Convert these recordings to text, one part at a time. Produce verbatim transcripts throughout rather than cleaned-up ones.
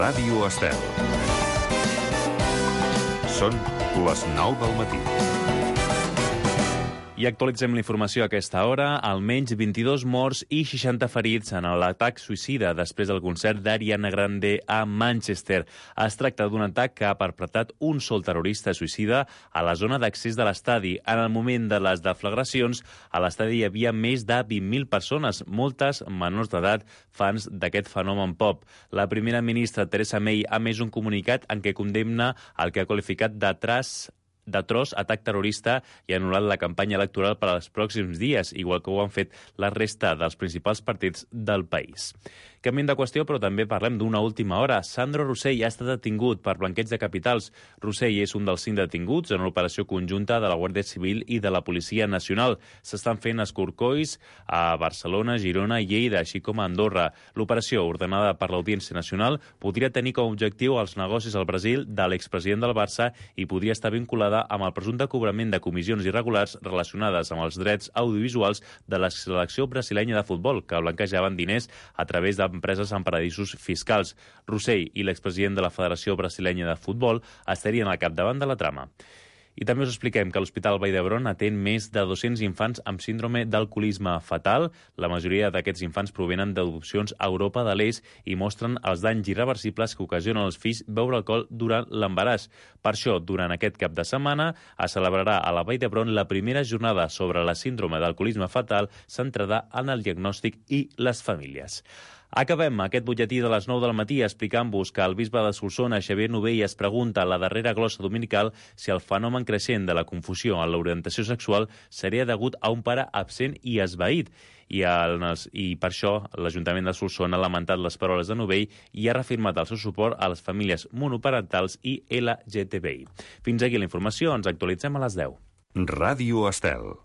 Ràdio Estel. Són les nou del matí. I actualitzem la informació a aquesta hora. Almenys vint-i-dos morts i seixanta ferits en l'atac suïcida després del concert d'Ariana Grande a Manchester. Es tracta d'un atac que ha perpetrat un sol terrorista suïcida a la zona d'accés de l'estadi. En el moment de les deflagracions, a l'estadi hi havia més de vint mil persones, moltes menors d'edat, fans d'aquest fenomen pop. La primera ministra, Theresa May, ha emès un comunicat en què condemna el que ha qualificat de tras d'atroç atac terrorista i ha anul·lat la campanya electoral per als pròxims dies, igual que ho han fet la resta dels principals partits del país. Canviem de qüestió, però també parlem d'una última hora. Sandro Rosell ha estat detingut per blanqueig de capitals. Rosell és un dels cinc detinguts en una operació conjunta de la Guàrdia Civil i de la Policia Nacional. S'estan fent escorcolls a Barcelona, Girona i Lleida, així com a Andorra. L'operació, ordenada per l'Audiència Nacional, podria tenir com a objectiu els negocis al Brasil de l'expresident del Barça i podria estar vinculada amb el presumpte cobrament de comissions irregulars relacionades amb els drets audiovisuals de la selecció brasilenya de futbol, que blanquejaven diners a través d'empreses en paradisos fiscals. Rosell i l'expresident de la Federació Brasilenya de Futbol estarien al capdavant de la trama. I també us expliquem que l'Hospital Vall d'Hebron atén més de dos-cents infants amb síndrome d'alcoholisme fatal. La majoria d'aquests infants provenen d'adopcions a Europa de l'Est i mostren els danys irreversibles que ocasionen als fills beure alcohol durant l'embaràs. Per això, durant aquest cap de setmana, es celebrarà a la Vall d'Hebron la primera jornada sobre la síndrome d'alcoholisme fatal centrada en el diagnòstic i les famílies. Acabem aquest butlletí de les nou del matí explicant-vos que el bisbe de Solsona, Xavier Novell, es pregunta a la darrera glossa dominical si el fenomen creixent de la confusió en l'orientació sexual seria degut a un pare absent i esvaït. I, el, I per això l'Ajuntament de Solsona ha lamentat les paraules de Novell i ha reafirmat el seu suport a les famílies monoparentals i L G T B I. Fins aquí la informació, ens actualitzem a les deu. Ràdio Estel.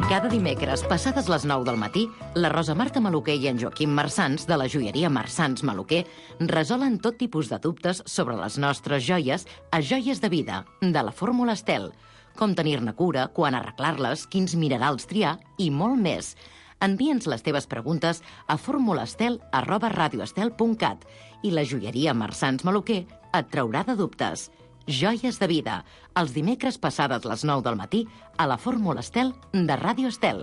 Cada dimecres, passades les nou del matí, la Rosa Marta Maluquer i en Joaquim Marsans, de la joieria Marsans Maluquer, resolen tot tipus de dubtes sobre les nostres joies a Joies de Vida, de la Fórmula Estel. Com tenir-ne cura, quan arreglar-les, quins minerals triar i molt més. Envia'ns les teves preguntes a formulastel arroba radioestel punt cat i la joieria Marsans Maluquer et traurà de dubtes. Joies de Vida, els dimecres passades les nou del matí a la Fórmula Estel de Ràdio Estel.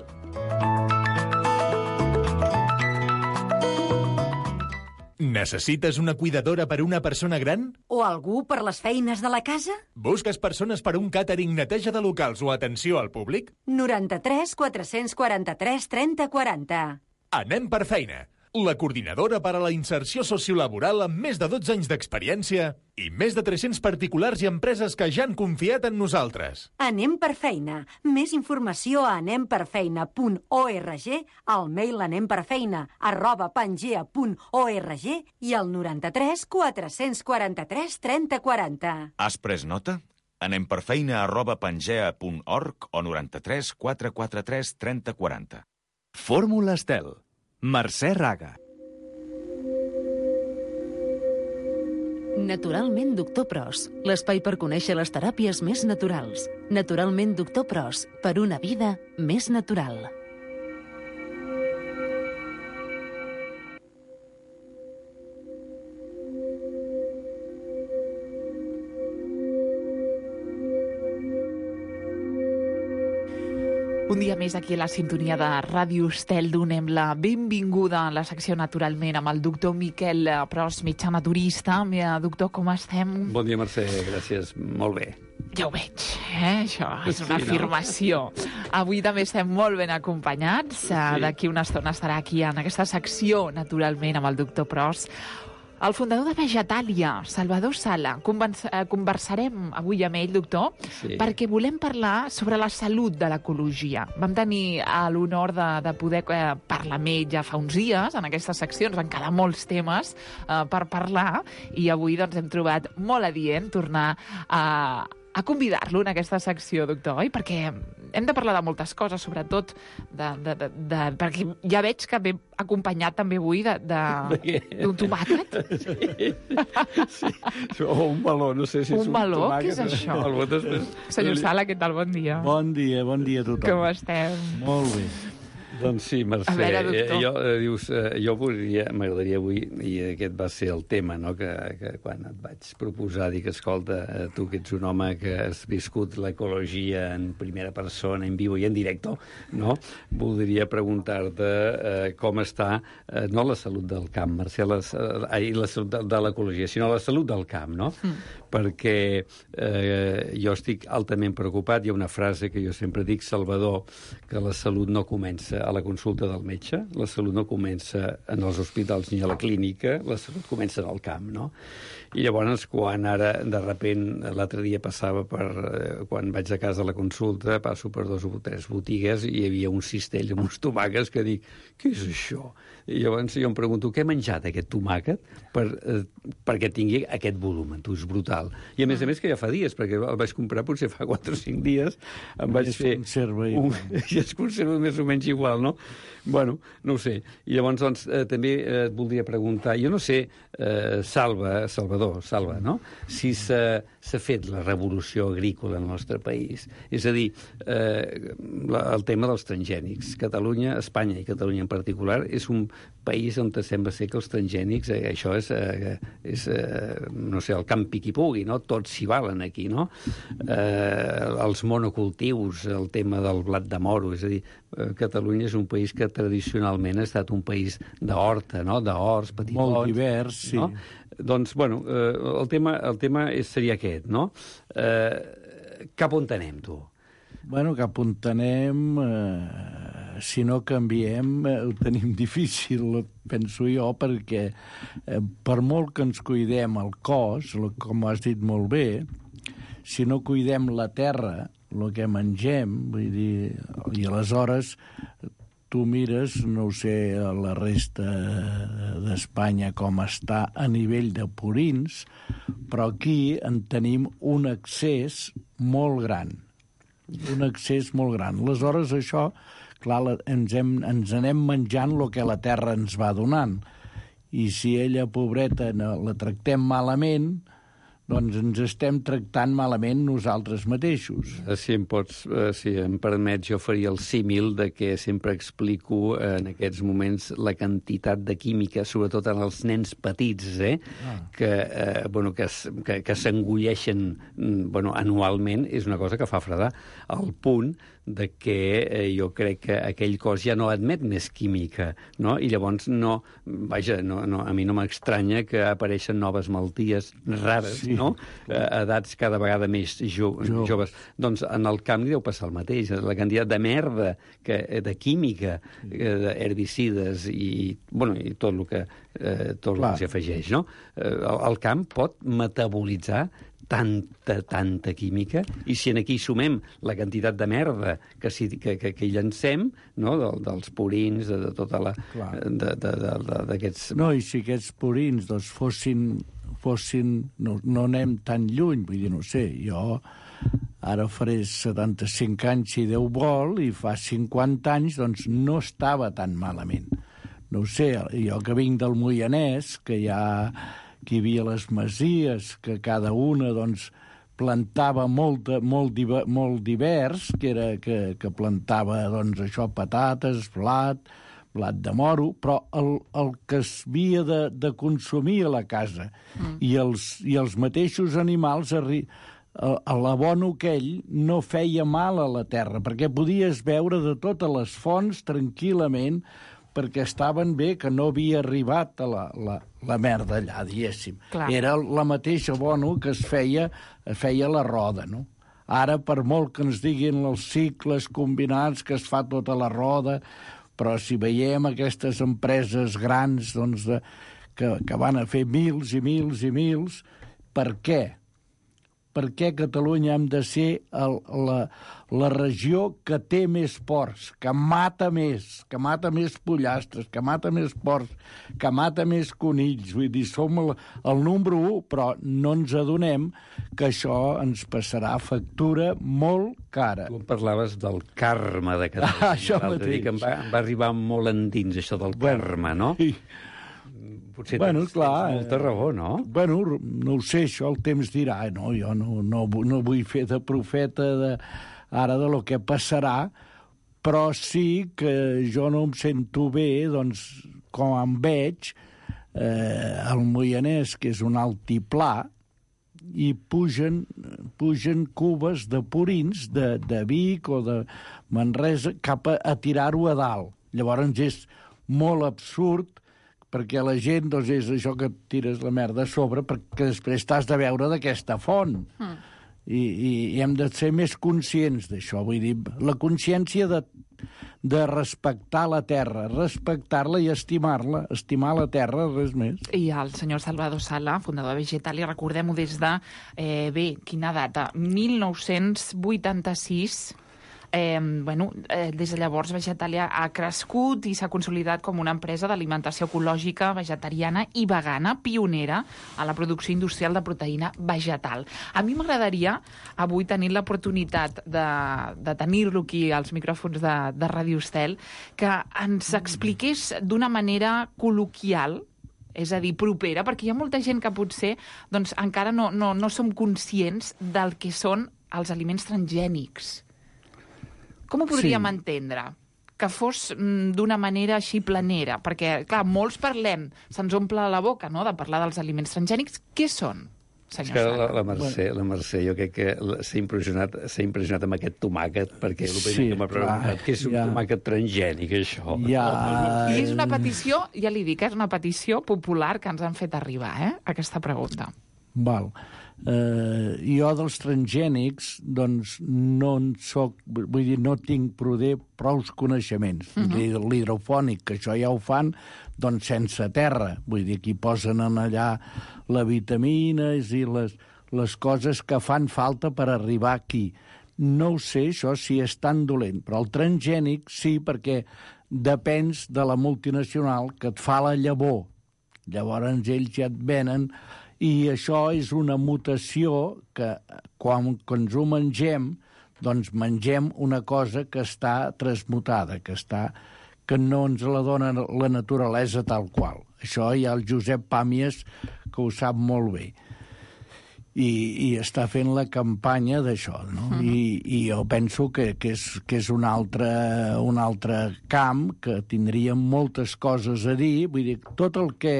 Necessites una cuidadora per una persona gran? O algú per les feines de la casa? Busques persones per un càtering, neteja de locals o atenció al públic? noranta-tres quatre-cents quaranta-tres trenta quaranta. Anem per feina. La coordinadora per a la inserció sociolaboral amb més de dotze anys d'experiència i més de tres-cents particulars i empreses que ja han confiat en nosaltres. Anem per feina. Més informació a anem per feina punt org, al mail anemperfeina arroba pangea punt org i al noranta-tres quatre-cents quaranta-tres trenta quaranta. Has pres nota? Anem per feina arroba pangea punt org o noranta-tres quatre-cents quaranta-tres trenta quaranta. Fórmula Estel. Mercè Raga. Naturalment Doctor Pros, l'espai per conèixer les teràpies més naturals. Naturalment Doctor Pros, per una vida més natural. Un dia més aquí a la sintonia de Ràdio Estel donem la benvinguda a la secció Naturalment amb el doctor Miquel Pros, metge naturista. Doctor, com estem? Bon dia, Mercè, gràcies. Molt bé. Ja ho veig, eh? Això és una sí, afirmació. No? Avui també estem molt ben acompanyats. Sí. D'aquí una estona estarà aquí en aquesta secció Naturalment amb el doctor Pros. El fundador de Vegetàlia, Salvador Sala. Conversarem avui amb ell, doctor, sí. perquè volem parlar sobre la salut de l'ecologia. Vam tenir l'honor de, de poder eh, parlar amb ell ja fa uns dies, en aquestes seccions, van quedar molts temes eh, per parlar, i avui doncs, hem trobat molt adient tornar a... a convidar-lo en aquesta secció, doctor, oi? Perquè hem de parlar de moltes coses, sobretot de, de, de, de, perquè ja veig que ve acompanyat també avui d'un tomàquet. Sí, sí. O un meló, no sé si és un, un meló, tomàquet. Què és això? Meló, després... Senyor Sala, què tal? Bon dia. Bon dia, bon dia a tothom. Com estem? Molt bé. Doncs sí, Mercè. A veure, doctor. Eh, jo, eh, dius, eh, jo volia, m'agradaria avui, i aquest va ser el tema, no?, que, que quan et vaig proposar, dic, escolta, eh, tu que ets un home que has viscut l'ecologia en primera persona, en vivo i en directo, no?, voldria preguntar-te eh, com està, eh, no la salut del camp, Mercè, la, eh, la salut de, de l'ecologia, sinó la salut del camp, no? Mm. Perquè eh, jo estic altament preocupat. Hi ha una frase que jo sempre dic, Salvador, que la salut no comença a la consulta del metge, la salut no comença en els hospitals ni a la clínica, la salut comença en el camp, no? I llavors, quan ara, de repent, l'altre dia passava per... Eh, quan vaig a casa a la consulta, passo per dos o tres botigues i hi havia un cistell amb uns tomàquets que dic, què és això? I llavors jo em pregunto, què he menjat aquest tomàquet per, eh, perquè tingui aquest volum? Tu, és brutal. I a més a més que ja fa dies, perquè el vaig comprar potser fa quatre o cinc dies, em vaig I fer... Conserva un... I es conserva més o menys igual, no? Bueno, no ho sé. I llavors, doncs, eh, també eh, et voldria preguntar, jo no sé, eh, Salva, Salvador, Salva, no?, si s'ha fet la revolució agrícola al nostre país. És a dir, eh, la, el tema dels transgènics. Catalunya, Espanya i Catalunya en particular, és un país on sembla ser que els transgènics, eh, això és, eh, és eh, no sé, el campi qui pugui, no? Tots s'hi valen aquí, no? Eh, els monocultius, el tema del blat de moro, és a dir, eh, Catalunya és un país que tradicionalment ha estat un país d'horta, no?, d'horts, petitons... Molt divers, sí. No? Doncs, bueno, eh, el tema, el tema és, seria aquest, no? Eh, cap on anem, tu? Bueno, cap on anem, eh, si no canviem, eh, ho tenim difícil, penso jo, perquè eh, per molt que ens cuidem el cos, com has dit molt bé, si no cuidem la terra, el que mengem, vull dir, i aleshores tu mires, no ho sé, la resta d'Espanya com està a nivell de purins, però aquí en tenim un excés molt gran, un excés molt gran. Aleshores, això, clar, ens, hem, ens anem menjant el que la terra ens va donant, i si ella, pobreta, la tractem malament, doncs ens estem tractant malament nosaltres mateixos. Si em pots, si em permets, jo faria el símil de que sempre explico en aquests moments la quantitat de química, sobretot en els nens petits, eh, ah. que, eh, bueno, que, que, que s'engulleixen bueno, anualment, és una cosa que fa fredar, al punt de que eh, jo crec que aquell cos ja no admet més química, no? I llavors no, vaja, no, no, a mi no m'estranya que apareixen noves malalties rares, sí, no? A edats cada vegada més jo, jo. joves. Doncs en el camp deu passar el mateix. La quantitat de merda, que, de química, d'herbicides i, bueno, i tot el que, eh, tot el que s'hi afegeix, no? El, el camp pot metabolitzar tanta, tanta química, i si en aquí sumem la quantitat de merda que, si, que, que, que hi llancem, no?, del, dels purins, de, de tota la... d'aquests... No, i si aquests purins doncs, fossin... fossin no, no anem tan lluny, vull dir, no sé, jo ara faré setanta-cinc anys si Déu vol, i fa cinquanta anys doncs no estava tan malament. No ho sé, jo que vinc del Moianès, que hi ha... que hi havia les masies, que cada una doncs, plantava molt, molt, diver, molt divers, que, era, que, que plantava doncs, això, patates, blat, blat de moro, però el, el que es havia de, de consumir a la casa mm. i, els, i els mateixos animals, l'abono aquell no feia mal a la terra, perquè podies veure de totes les fonts tranquil·lament, perquè estaven bé, que no havia arribat a la, la, la merda allà, diguéssim. Clar. Era la mateixa abono que es feia, es feia la roda, no? Ara, per molt que ens diguin els cicles combinats, que es fa tota la roda, però si veiem aquestes empreses grans doncs, de, que, que van a fer mils i mils i mils, per què? Per què Catalunya hem de ser el, la, la regió que té més porcs, que mata més, que mata més pollastres, que mata més porcs, que mata més conills? Vull dir, som el, el número u, però no ens adonem que això ens passarà factura molt cara. Tu parlaves del karma de Catalunya. Ah, això mateix. Que em va, em va arribar molt endins, això del bueno, karma, no? Sí. Potser bueno, tens, clar, tens molta raó, no? Bueno, no ho sé, això el temps dirà. No, jo no, no, no vull fer de profeta de, ara de lo que passarà, però sí que jo no em sento bé, doncs, com em veig, eh, el Moianès, que és un altiplà, i pugen, pugen cubes de purins de, de Vic o de Manresa cap a, a tirar-ho a dalt. Llavors és molt absurd, perquè la gent, doncs, és això que tires la merda a sobre, perquè després t'has de veure d'aquesta font. Mm. I, i, I hem de ser més conscients d'això. Vull dir, la consciència de, de respectar la terra, respectar-la i estimar-la, estimar la terra, res més. I el senyor Salvador Sala, fundador de Vegetalia, recordem-ho des de, eh, bé, quina data? mil nou-cents vuitanta-sis... Eh, bueno, eh, des de llavors Vegetalia ha crescut i s'ha consolidat com una empresa d'alimentació ecològica, vegetariana i vegana, pionera a la producció industrial de proteïna vegetal. A mi m'agradaria avui tenir l'oportunitat de, de tenir-lo aquí als micròfons de, de Ràdio Estel, que ens expliqués d'una manera col·loquial, és a dir, propera, perquè hi ha molta gent que potser doncs, encara no, no, no som conscients del que són els aliments transgènics. Com ho podríem sí. entendre? Que fos mm, d'una manera així planera? Perquè, clar, molts parlem, se'ns omple la boca, no?, de parlar dels aliments transgènics. Què són, senyor Sala? La, la, Mercè, la Mercè, jo crec que s'ha impressionat, s'ha impressionat amb aquest tomàquet, perquè el primer sí, que m'ha preguntat, què és un ja. tomàquet transgènic, això? Ja. I és una petició, ja li dic, és una petició popular que ens han fet arribar, eh?, aquesta pregunta. Val. Eh, jo dels transgènics, doncs, no en soc, vull dir, no tinc prou prous coneixements. Uh-huh. L'hidrofònic, que això ja ho fan, doncs sense terra. Vull dir, que hi posen en allà les vitamines i les, les coses que fan falta per arribar aquí. No ho sé, això, si és tan dolent, però el transgènic sí, perquè depens de la multinacional que et fa la llavor. Llavors ells ja et venen. I això és una mutació que, quan, quan ens ho mengem, doncs mengem una cosa que està transmutada, que, està, que no ens la dona la naturalesa tal qual. Això hi ha el Josep Pàmies, que ho sap molt bé. I, i està fent la campanya d'això, no? Uh-huh. I, I jo penso que, que, és, que és un altre, un altre camp que tindríem moltes coses a dir. Vull dir, tot el que,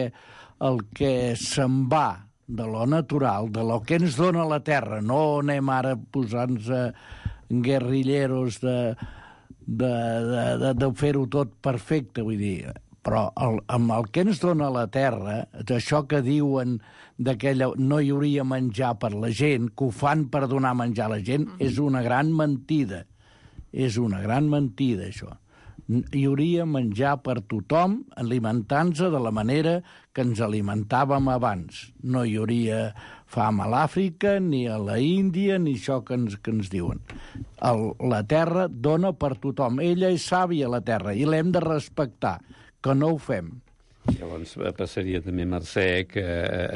el que se'n va de lo natural, de lo que ens dona la terra. No anem ara posant-nos guerrilleros de, de, de, de, de fer-ho tot perfecte, vull dir. Però el, amb el que ens dona la terra, d'això que diuen d'aquella no hi hauria menjar per la gent, que ho fan per donar menjar a la gent, mm-hmm. és una gran mentida. És una gran mentida, això. Hi hauria menjar per tothom, alimentant-se de la manera que ens alimentàvem abans. No hi hauria fam a l'Àfrica, ni a la Índia, ni això que ens, que ens diuen. El, la terra dona per tothom. Ella és sàvia, la terra, i l'hem de respectar, que no ho fem. Llavors passaria també, Mercè, que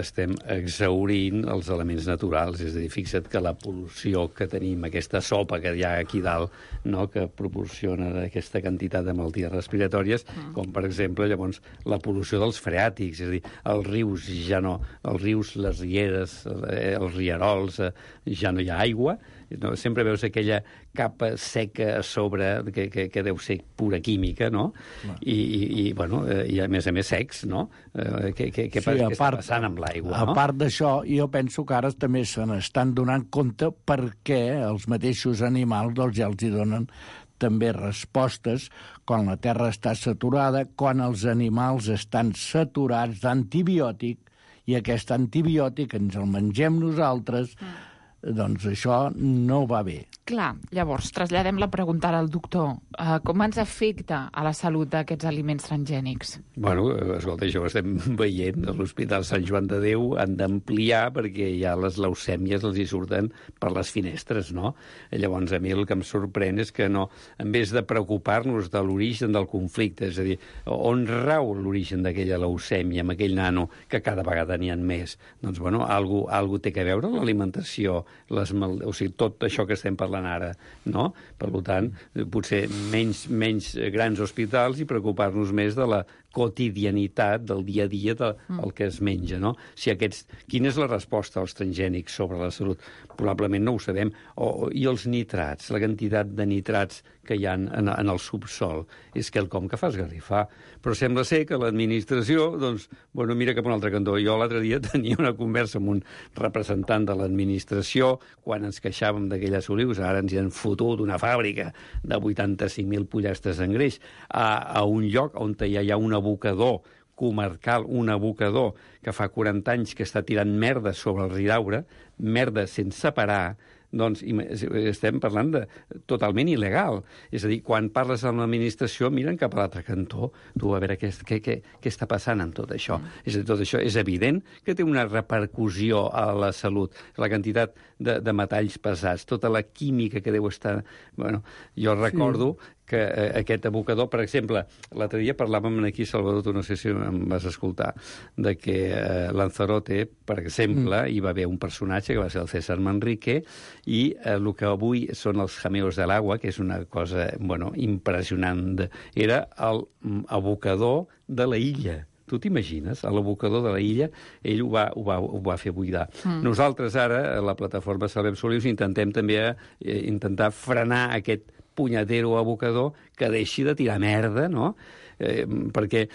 estem exhaurint els elements naturals. És a dir, fixa't que la pol·lució que tenim, aquesta sopa que hi ha aquí dalt, no?, que proporciona aquesta quantitat de malalties respiratòries, mm. com, per exemple, llavors, la pol·lució dels freàtics. És a dir, els rius ja no... Els rius, les rieres, els rierols, ja no hi ha aigua. No? Sempre veus aquella capa seca a sobre, que, que, que deu ser pura química, no? I, i, i, bueno, i a més a més secs, no? Eh, què què, què, sí, què està passant amb l'aigua, no? A part d'això, jo penso que ara també se n'estan donant compte perquè els mateixos animals doncs, ja els hi donen també respostes quan la terra està saturada, quan els animals estan saturats d'antibiòtic, i aquest antibiòtic ens el mengem nosaltres, mm. doncs això no va bé. Clar, llavors, traslladem la pregunta al doctor. Uh, com ens afecta a la salut aquests aliments transgènics? Bueno, escolta, això ho estem veient. A l'Hospital Sant Joan de Déu han d'ampliar perquè ja les leucèmies els hi surten per les finestres, no? Llavors, a mi el que em sorprèn és que no, en vez de preocupar-nos de l'origen del conflicte, és a dir, on rau l'origen d'aquella leucèmia, amb aquell nano, que cada vegada n'hi ha més, doncs, bueno, algú, algú té que veure l'alimentació les mal... o sigui, tot això que estem parlant ara, no? Per tant, potser menys, menys grans hospitals i preocupar-nos més de la quotidianitat del dia a dia del mm. que es menja, no? Si aquests... Quina és la resposta als transgènics sobre la salut? Probablement no ho sabem. O, I els nitrats, la quantitat de nitrats que hi ha en, en el subsol, és quelcom que fa esgarrifar. Però sembla ser que l'administració, doncs, bueno, mira cap a un altre cantó. Jo l'altre dia tenia una conversa amb un representant de l'administració quan ens queixàvem d'aquelles olius, ara ens hi han fotut una fàbrica de vuitanta-cinc mil pollastres en greix a, a un lloc on ja hi ha un abocador comarcal, un abocador que fa quaranta anys que està tirant merda sobre el Ridaura, merda sense parar, doncs estem parlant de totalment il·legal. És a dir, quan parles amb l'administració, miren cap a l'altre cantó. Tu, a veure, què, què, què, què està passant amb tot això? Mm. És a dir, tot això és evident que té una repercussió a la salut. La quantitat de, de metalls pesats, tota la química que deu estar... Bueno, jo recordo... Sí. que eh, aquest abocador, per exemple, l'altre dia parlàvem aquí, Salvador, tu no sé si em vas escoltar, de que eh, Lanzarote, per exemple, mm. hi va haver un personatge que va ser el César Manrique, i eh, el que avui són els jameos de l'agua, que és una cosa, bueno, impressionant, era el abocador de la illa. Tu t'imagines? A l'abocador de la illa, ell ho va, ho va, ho va fer buidar. Mm. Nosaltres ara, a la plataforma Salvem Solius, intentem també eh, intentar frenar aquest punyatero abocador que deixi de tirar merda, no? Eh, perquè,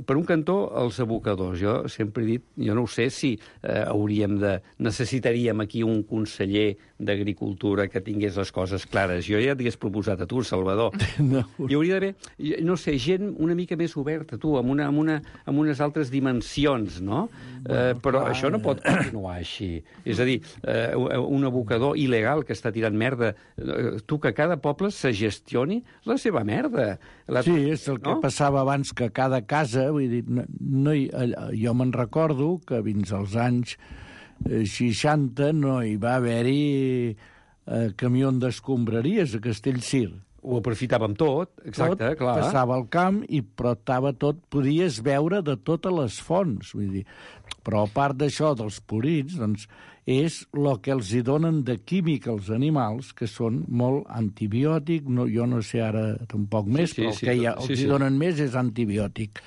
per un cantó, els abocadors, jo sempre he dit, jo no ho sé si eh, hauríem de... necessitaríem aquí un conseller d'Agricultura que tingués les coses clares. Jo ja t'hagués proposat a tu, Salvador. No. Hi hauria d'haver, no sé, gent una mica més oberta, tu, amb, una, amb, una, amb unes altres dimensions, no? Eh, però clar, això no pot continuar així. És a dir, eh, un abocador il·legal que està tirant merda, eh, tu, que cada poble se gestioni la seva merda. La... Sí, és el que no? passava abans, que cada casa, vull dir, no, no hi, jo me'n recordo que fins als anys seixanta no hi va haver-hi eh, camió d'escombraries a Castellcir. Ho aprofitàvem tot, exacte, tot clar. Passava al camp i però estava tot, podies veure de totes les fonts, vull dir. Però a part d'això dels purins, doncs, és el que els hi donen de química als animals, que són molt antibiòtic, no, jo no sé ara tampoc més, sí, sí, però el sí, que ja, els sí, sí. hi donen més és antibiòtic.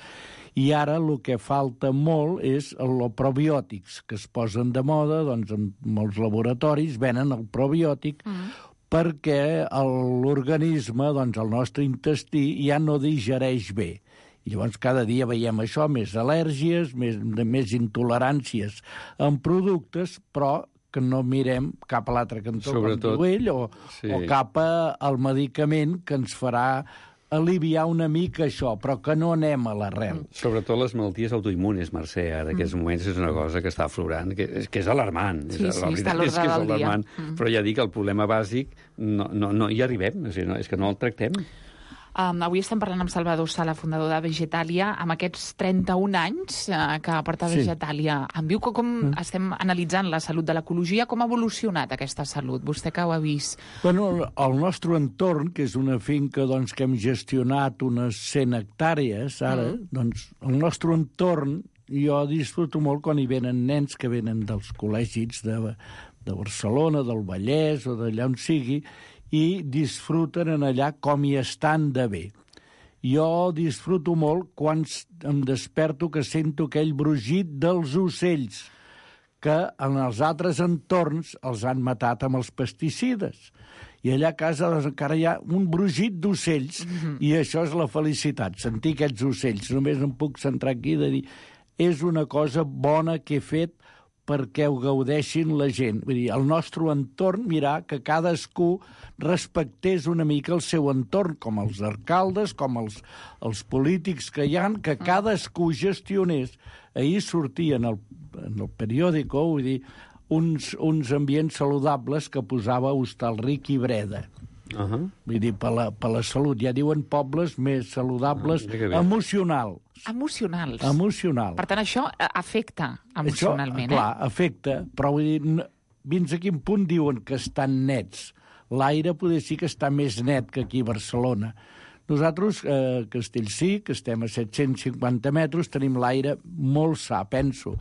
I ara el que falta molt és els probiòtics, que es posen de moda, doncs en molts laboratoris venen el probiòtic, mm. perquè l'organisme, doncs el nostre intestí, ja no digereix bé. I llavors cada dia veiem això, més al·lèrgies, més, més intoleràncies en productes, però que no mirem cap a l'altre cantó, sobretot, com diu ell, o, sí. o cap al medicament que ens farà aliviar una mica això, però que no anem a l'arrel. Sobretot les malalties autoimmunes, Mercè, ara, en aquests moments és una cosa que està aflorant, que és, que és alarmant. Sí, és, sí, està a l'ordre del dia. Mm. Però ja dic que el problema bàsic no, no, no hi arribem, o sigui, no, és que no el tractem. Um, avui estem parlant amb Salvador Sala, fundador de Vegetalia, amb aquests trenta-un anys uh, que porta sí. Vegetalia. Em diu que com mm. estem analitzant la salut de l'ecologia, com ha evolucionat aquesta salut? Vostè que ho ha vist. Bueno, el nostre entorn, que és una finca doncs, que hem gestionat unes cent hectàrees, ara, mm. doncs el nostre entorn, jo disfruto molt quan hi venen nens que venen dels col·legis de, de Barcelona, del Vallès o d'allà on sigui, i disfruten en allà com hi estan de bé. Jo disfruto molt quan em desperto que sento aquell brugit dels ocells, que en els altres entorns els han matat amb els pesticides. I allà a casa doncs, encara hi ha un brugit d'ocells, mm-hmm. i això és la felicitat, sentir aquests ocells. Només em puc centrar aquí de dir, és una cosa bona que he fet perquè ho gaudeixin la gent. Vull dir, el nostre entorn, mirar que cadascú respectés una mica el seu entorn, com els alcaldes, com els, els polítics que hi ha, que cadascú gestionés. Ahir sortia en el, en el periòdico, vull dir, uns, uns ambients saludables que posava Hostalric i Breda. Uh-huh. Vull dir, per la, per la salut. Ja diuen pobles més saludables, uh, emocional. Emocionals. Emocional. Per tant, això afecta emocionalment, això, clar, eh? afecta, però vull dir, fins a quin punt diuen que estan nets? L'aire poder sí que està més net que aquí a Barcelona. Nosaltres, a eh, Castellcí, que estem a set-cents cinquanta metres, tenim l'aire molt sa, penso.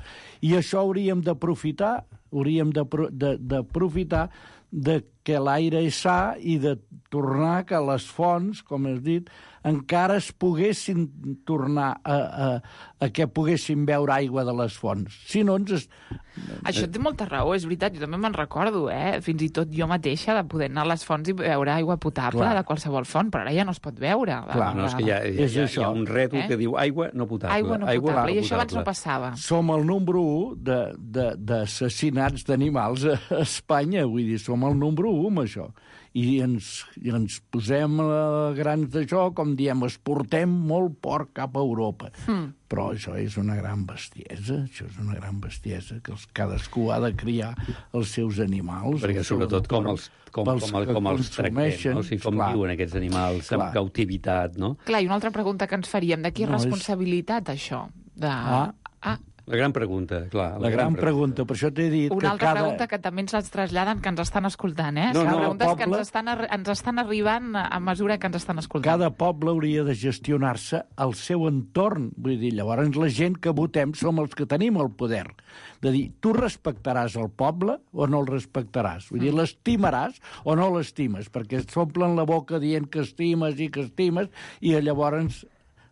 I això hauríem d'aprofitar, hauríem d'aprofitar de que l'aire és sa i de tornar que les fonts, com has dit, encara es poguessin tornar a, a, a que poguessin beure aigua de les fonts. Si no, ens... Això té molta raó, és veritat, jo també me'n recordo, eh? Fins i tot jo mateixa de poder anar a les fonts i beure aigua potable Clar. de qualsevol font, però ara ja no es pot beure. Clar, no, és que hi ha, hi ha, hi ha, hi ha un rètol eh? que diu aigua no potable. Aigua no potable, aigua, i això abans no passava. Som el número u d'assassinats d'animals a Espanya, vull dir, som el número u amb això. I ens, i ens posem a grans d'això, com diem, exportem molt porc cap a Europa. Mm. Però això és una gran bestiesa, això és una gran bestiesa, que els, cadascú ha de criar els seus animals. Perquè sobretot com els, com, com, com, com els tractem, no? O sigui, com clar, viuen aquests animals clar. amb cautivitat, no? Clar, i una altra pregunta que ens faríem, de qui és no, responsabilitat, és... això? De... Ah, ah. La gran pregunta, clar. La, la gran, gran pregunta. pregunta, per això t'he dit Una que altra cada... pregunta que també ens les traslladen, que ens estan escoltant, eh? No, no, preguntes poble... que ens estan, ens estan arribant a mesura que ens estan escoltant. Cada poble hauria de gestionar-se el seu entorn. Vull dir, llavors la gent que votem som els que tenim el poder. De dir, tu respectaràs el poble o no el respectaràs? Vull dir, l'estimaràs o no l'estimes? Perquè s'omplen la boca dient que estimes i que estimes i llavors...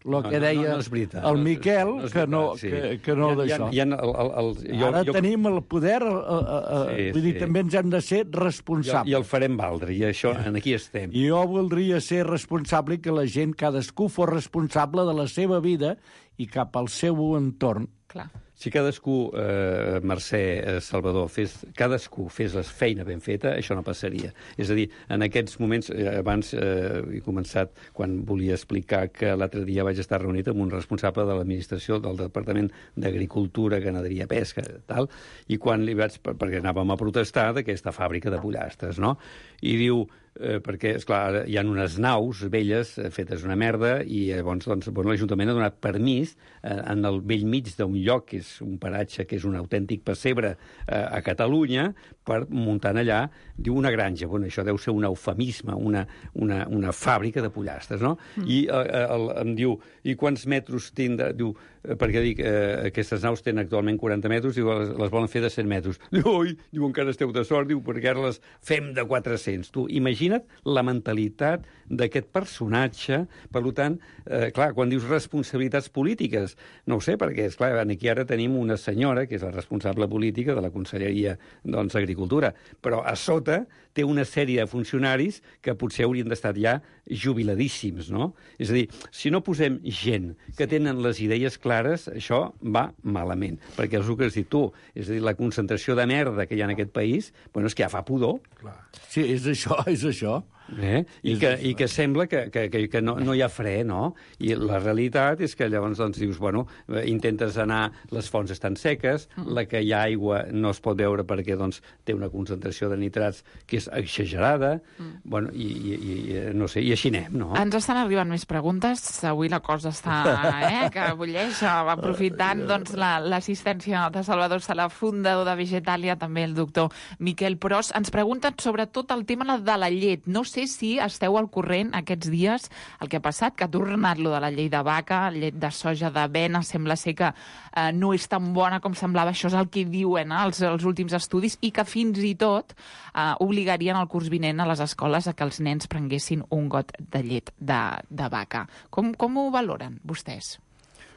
el que deia no, no, no veritat, el Miquel, no, no que no, sí. que, que no d'això. Ara jo... tenim el poder, a, a, a, sí, vull dir, sí. també ens hem de ser responsables. I, i el farem valdre, i això, en aquí estem. I jo voldria ser responsable i que la gent, cadascú, fos responsable de la seva vida i cap al seu entorn. Clar. Si cadascú, eh, Mercè, eh, Salvador, fes, cadascú fes la feina ben feta, això no passaria. És a dir, en aquests moments, eh, abans eh, he començat quan volia explicar que l'altre dia vaig estar reunit amb un responsable de l'administració del Departament d'Agricultura, Ganaderia, Pesca, tal, i quan li vaig, perquè anàvem a protestar d'aquesta fàbrica de pollastres, no? I diu, eh, perquè, esclar, hi ha unes naus velles eh, fetes una merda i llavors doncs, bueno, l'Ajuntament ha donat permís eh, en el vell mig d'un lloc, que és un paratge que és un autèntic pessebre eh, a Catalunya, per muntar allà, diu, una granja. Bueno, això deu ser un eufemisme, una, una, una fàbrica de pollastres, no? Mm. I eh, el, em diu, i quants metres tindrà? Diu, eh, perquè dic, eh, aquestes naus tenen actualment quaranta metres, diu, les, les volen fer de cent metres. Diu, oi, diu, encara esteu de sort, diu, perquè ara les fem de quatre-cents. Tu, imagina't la mentalitat d'aquest personatge. Per tant, eh, clar, quan dius responsabilitats polítiques, no ho sé, perquè, esclar, aquí ara tenim una senyora, que és la responsable política de la Conselleria doncs, d'Agricultura, però a sota té una sèrie de funcionaris que potser haurien d'estar ja jubiladíssims, no? És a dir, si no posem gent que tenen les idees clares, això va malament. Perquè és el que has dit tu, és a dir, la concentració de merda que hi ha en aquest país, bueno, és que ja fa pudor. Clar. Sí, és això, és això. Eh? I, que, I que sembla que, que, que no, no hi ha fre, no? I la realitat és que llavors doncs, dius, bueno, intentes anar, les fonts estan seques, mm. la que hi ha aigua no es pot veure perquè doncs, té una concentració de nitrats que és exagerada, mm. bueno, i, i, i, no sé, i així anem, no? Ens estan arribant més preguntes, avui la cosa està, eh, que bulleix, aprofitant doncs, l'assistència la, de Salvador Sala, fundador de Vegetàlia, també el doctor Miquel Pros. Ens pregunten sobretot el tema de la llet. No sé si esteu al corrent aquests dies el que ha passat, que ha tornat lo de la llei de vaca, llet de soja, d'avena, sembla ser que eh, no és tan bona com semblava, això és el que diuen eh, els, els últims estudis, i que fins i tot eh, obligarien el curs vinent a les escoles a que els nens prenguessin un got de llet de, de vaca. Com, com ho valoren vostès?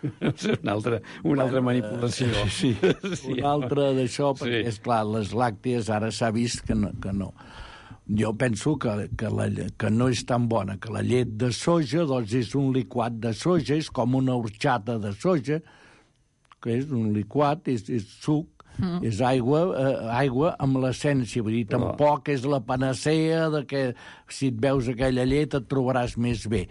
Una altra, una altra manipulació. Sí, sí. Una altra d'això, perquè, sí. Esclar, les làcties ara s'ha vist que no. Que no. Jo penso que, que, la, que no és tan bona, que la llet de soja doncs és un liquat de soja, és com una horxata de soja, que és un liquat, és, és suc, mm. és aigua, eh, aigua amb l'essència. Vull dir, Però... tampoc és la panacea de que si et veus aquella llet et trobaràs més bé.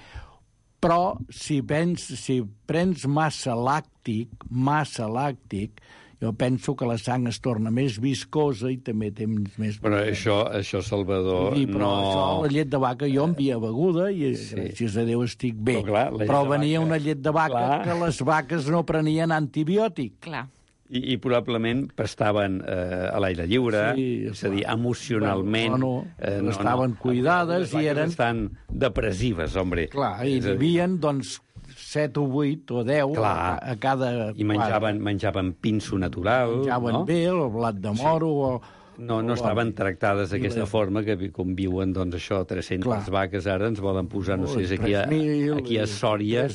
Però si, pens, si prens massa làctic, massa làctic, jo penso que la sang es torna més viscosa i també té més... Però això, això Salvador, sí, però no... això, la llet de vaca, jo en havia beguda i sí. gràcies a Déu estic bé. Però, clar, però venia vaca... una llet de vaca clar. Que les vaques no prenien antibiòtic. Clar. I, i probablement pastaven eh, a l'aire lliure, sí, és a dir, emocionalment... Bueno, no, eh, no, estaven no, cuidades no, i eren... estan depressives, hombre. Clar, i vivien, doncs, set o vuit o deu Clar. a, a cada... I menjaven, menjaven pinso natural, menjaven no? bé el blat de moro sí. o... No, no estaven tractades d'aquesta forma, que com viuen, doncs, això, tres-centes Clar. vaques ara ens volen posar, no sé, aquí a, aquí a Sòria...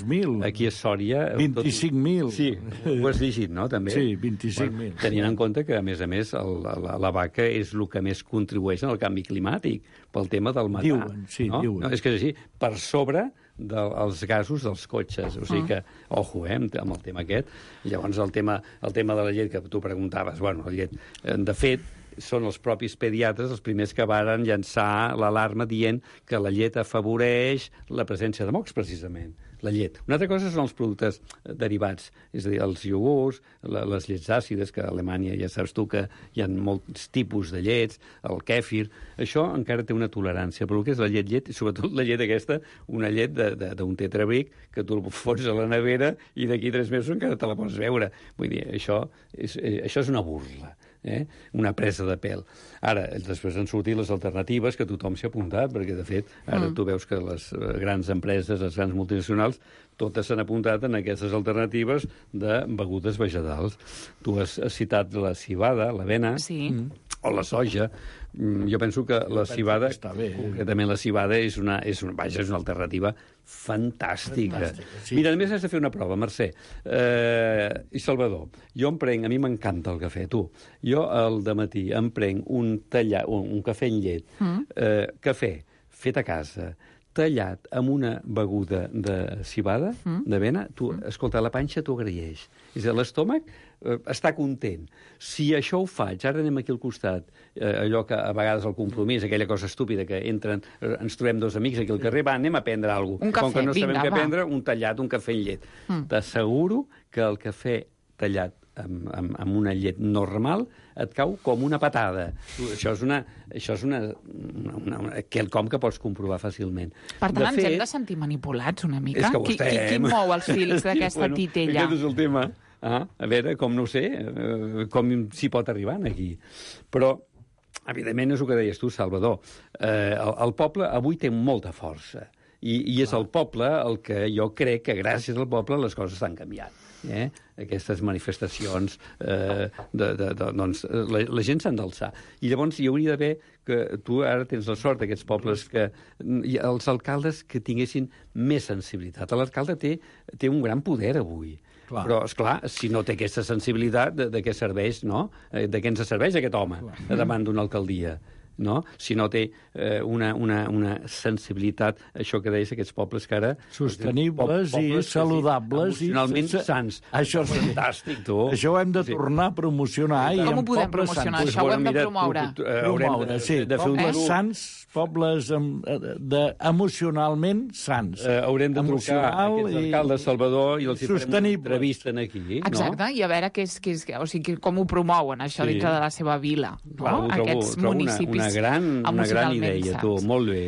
Aquí a Sòria... vint-i-cinc mil. Sí, ho has llegit, no, també? Sí, vint-i-cinc mil. Bueno, tenint en compte que, a més a més, el, la, la vaca és el que més contribueix en el canvi climàtic, pel tema del metà. Diuen, sí, no? diuen. No, és que és així, per sobre dels gasos dels cotxes. O sigui que, ojo, eh, amb el tema aquest. Llavors, el tema, el tema de la llet que tu preguntaves, bueno, la llet, de fet, són els propis pediatres els primers que varen llançar l'alarma dient que la llet afavoreix la presència de mocs, precisament. La llet. Una altra cosa són els productes derivats, és a dir, els iogurts, la, les llets àcides, que a Alemanya ja saps tu que hi ha molts tipus de llets, el kèfir, això encara té una tolerància, però el que és la llet, llet, i sobretot la llet aquesta, una llet d'un tetrabric, que tu el fots a la nevera i d'aquí tres mesos encara te la pots veure. Vull dir, això és, això és una burla. Eh? Una presa de pèl. Ara, després han sortit les alternatives que tothom s'ha apuntat, perquè, de fet, ara mm. tu veus que les grans empreses, les grans multinacionals, totes s'han apuntat en aquestes alternatives de begudes vegetals. Tu has citat la civada, l'avena, sí. o la soja. Jo penso que la civada, concretament la civada, és una, és una, vaja, és una alternativa fantàstica. fantàstica sí. Mira, a més has de fer una prova, Mercè. Eh, I Salvador, jo em prenc, a mi m'encanta el cafè, tu. Jo al dematí em prenc un tallat, un, un cafè en llet, mm. eh, cafè fet a casa, tallat amb una beguda de civada, mm. d'avena, tu, escolta, la panxa t'ho agraeix. És a dir, l'estómac eh, està content. Si això ho faig, ara anem aquí al costat, eh, allò que a vegades el compromís, aquella cosa estúpida que entren, eh, ens trobem dos amics aquí al carrer, va, anem a prendre alguna cosa. Un cafè, com que no vinga, sabem què va. prendre, un tallat, un cafè en llet. Mm. T'asseguro que el cafè tallat amb, amb, amb una llet normal et cau com una patada. Això és una, això és una, una, una, una quelcom que pots comprovar fàcilment. Per tant, de ens fet, hem de sentir manipulats una mica? És que ho qui, qui, qui mou els fils d'aquesta bueno, titella? Aquest és el tema. Ah, a veure, com no ho sé, eh, com s'hi pot arribar aquí. Però, evidentment, és el que deies tu, Salvador. Eh, el, el poble avui té molta força. I, i és el poble el que jo crec que gràcies al poble les coses estan canviant. Eh? Aquestes manifestacions, eh, de, de, de, doncs, la, la gent s'ha d'alçar. I llavors hi hauria d'haver, que tu ara tens la sort d'aquests pobles, que els alcaldes que tinguessin més sensibilitat. L'alcalde té, té un gran poder avui. Clar. Però, esclar, si no té aquesta sensibilitat, de, de què serveix, no? De què ens serveix aquest home Clar. davant d'una alcaldia? No? Si no té eh, una, una, una sensibilitat, això que deies, aquests pobles que ara... Sostenibles po i saludables. Sí, emocionalment i sants. Això és fantàstic, tu. Això ho hem de tornar a promocionar. I com i ho podem promocionar? Sants. Això ho hem de promoure. Tu, tu, eh, promoure, de, sí. De fer pobles un... sants, pobles de, de, emocionalment sants. Eh, haurem de trucar a aquests alcaldes Salvador i els hi farem una entrevista aquí. Exacte, no? i a veure què és, què és, o sigui, com ho promouen, això, sí. dintre de la seva vila. Trobo, no? Aquests trobo municipis una, una gran, una gran idea, tu, molt bé.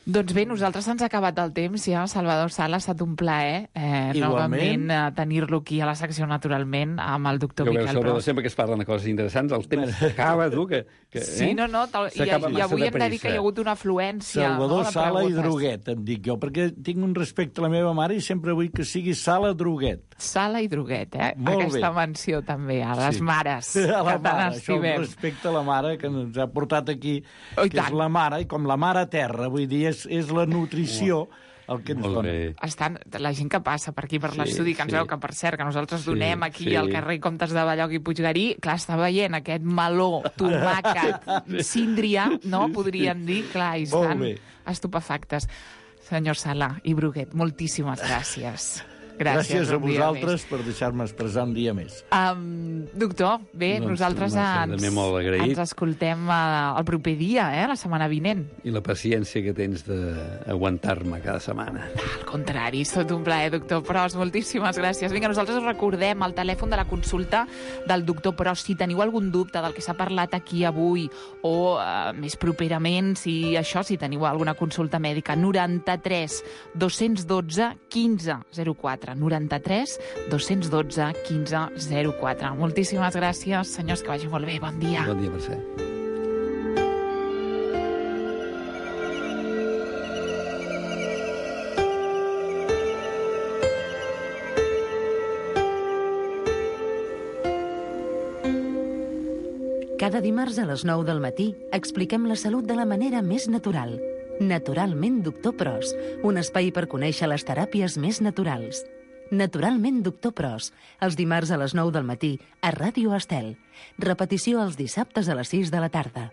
Doncs bé, nosaltres ens ha acabat el temps ja. Salvador Sala, ha estat un plaer eh, novament eh, tenir-lo aquí a la secció Naturalment amb el doctor jo Miquel Pros. Sempre que es parlen de coses interessants, el temps s'acaba, tu, que... que sí, eh? no, no, tal, i, i avui hem de dir que hi ha hagut una afluència. Salvador no, Sala i Droguet, em dic jo, perquè tinc un respecte a la meva mare i sempre vull que sigui Sala Droguet. Sala i Droguet, eh? Molt Aquesta bé. menció també a les sí. mares, a la que tant mare, estimem. Això respecte a la mare que ens ha portat aquí, oh, que és la mare, i com la mare terra, vull dir, és, és la nutrició el que ens Molt dona. bé. Estan, la gent que passa per aquí, per Sí, l'estudi, que ens sí. veu, que per cert, que nosaltres Sí, donem aquí sí. al carrer Comtes de Balloc i Puiggarí, clar, està veient aquest meló, tomàquet, síndria, no? Podrien dir, clar, i Molt estan bé. estupefactes. Senyor Sala i Bruguet, moltíssimes gràcies. Gràcies, Gràcies a un dia vosaltres més. per deixar-me expressar un dia més. Um, doctor, bé, Doncs, nosaltres Mercè, ens, també molt agraït. ens escoltem uh, el proper dia, eh, la setmana vinent. I la paciència que tens d'aguantar-me cada setmana. Al contrari, és tot un plaer, doctor Pros. Moltíssimes gràcies. Vinga, nosaltres us recordem el telèfon de la consulta del doctor Pros. Si teniu algun dubte del que s'ha parlat aquí avui o uh, més properament, si això, si teniu alguna consulta mèdica, noranta-tres dos dotze quinze zero quatre. noranta-tres dos dotze quinze zero quatre. Moltíssimes gràcies, senyors, que vagi molt bé. Bon dia. Bon dia, Mercè. Cada dimarts a les nou del matí expliquem la salut de la manera més natural. Naturalment Doctor Pros, un espai per conèixer les teràpies més naturals. Naturalment Doctor Pros, els dimarts a les nou del matí a Ràdio Estel. Repetició els dissabtes a les sis de la tarda.